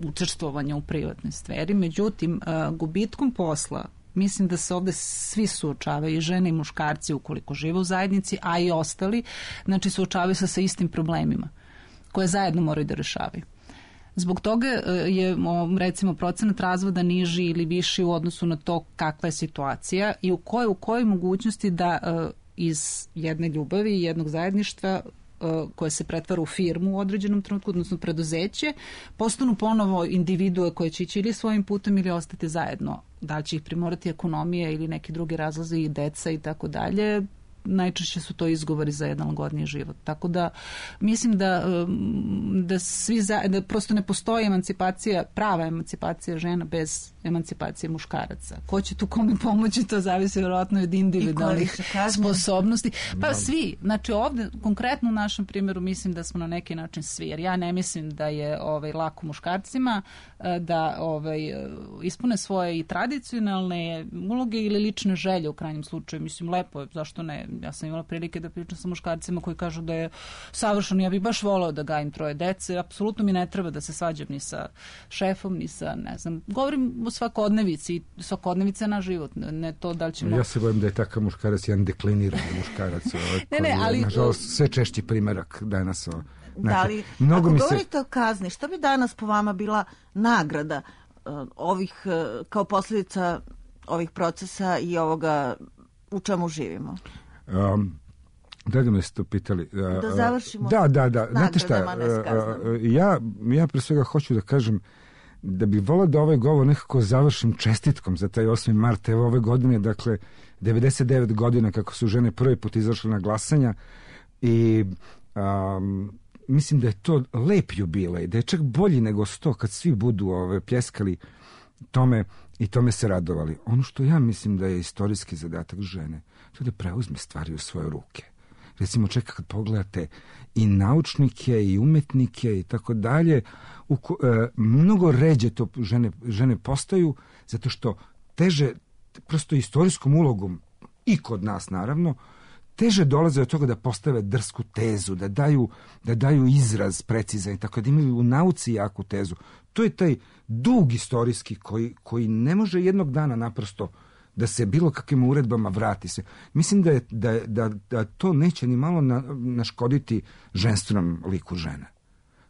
E: učestvovanja u privatnoj sferi. Međutim, gubitkom posla, mislim da se ovde svi suočavaju, i žene i muškarci ukoliko žive u zajednici, a i ostali, znači suočavaju se sa istim problemima koje zajedno moraju da rešavaju. Zbog toga je, recimo, procenat razvoda niži ili viši u odnosu na to kakva je situacija i u kojoj mogućnosti da iz jedne ljubavi i jednog zajedništva koje se pretvara u firmu u određenom trenutku, odnosno preduzeće, postanu ponovo individue koje će ići ili svojim putem ili ostati zajedno. Da li će ih primorati ekonomija ili neki drugi razlozi i deca i tako dalje, najčešće su to izgovori za jedan lagodniji život. Tako da mislim da svi da prosto ne postoji emancipacija, prava emancipacija žena bez emancipacije muškaraca. Ko će tu kome pomoći, to zavisi vjerojatno od individualnih sposobnosti. Pa svi. Znači ovde, konkretno u našem primjeru, mislim da smo na neki način svi. Jer ja ne mislim da je lako muškarcima da ispune svoje i tradicionalne uloge ili lične želje u krajnjem slučaju. Mislim, lepo je, zašto ne? Ja sam imala prilike da pričam sa muškarcima koji kažu da je savršeno. Ja bih baš volao da gajim 3 dece. Apsolutno mi ne treba da se svađam ni sa šefom, ni sa, ne znam, govorim o svakodnevici. Svakodnevica na život. Ne to da li ćemo...
F: Ja se bojim da je takav muškarac jedan dekliniran muškarac. Ali... Nažalost, sve češći primerak danas.
A: Da li, ako govorite o kazni, šta bi danas po vama bila nagrada ovih, kao posljedica ovih procesa i ovoga u čemu živimo?
F: Da me ste to pitali.
A: Da završimo.
F: Da. Znate šta, ja pre svega hoću da kažem da bih volao da ovaj govor nekako završim čestitkom za taj 8. mart. Evo ove godine, dakle, 99 godina kako su žene prvi put izašle na glasanja i mislim da je to lep jubilej, da je čak bolji nego 100 kad svi budu pljeskali tome i tome se radovali. Ono što ja mislim da je istorijski zadatak žene, to da preuzme stvari u svoje ruke. Recimo, čeka kad pogledate i naučnike i umetnike i tako dalje, mnogo ređe to žene postaju, zato što teže, prosto istorijskom ulogom i kod nas naravno, teže dolaze od toga da postave drsku tezu, da daju izraz precizan i tako da imaju u nauci jaku tezu. To je taj dug istorijski koji ne može jednog dana naprosto da se bilo kakvim uredbama vrati se. Mislim da to neće ni malo naškoditi ženstvenom liku žene.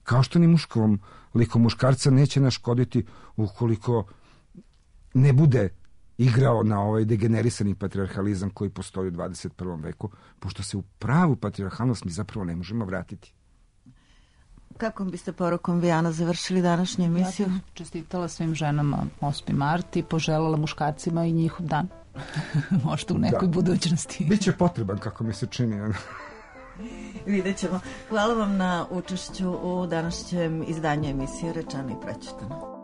F: Kao što ni muškom liku muškarca neće naškoditi ukoliko ne bude igrao na ovaj degenerisani patrijarhalizam koji postoji u 21. veku, pošto se u pravu patrijarhalnost mi zapravo ne možemo vratiti.
A: Kakvom biste porukom, Vijana, završili današnju emisiju?
E: Ja čestitala svim ženama 8. mart i poželjela muškarcima i njihov dan. Možda u nekoj budućnosti.
F: Biće potreban, kako mi se čini.
A: Vidjet ćemo. Hvala vam na učešću u današnjem izdanju emisije Rečeno i pročitano.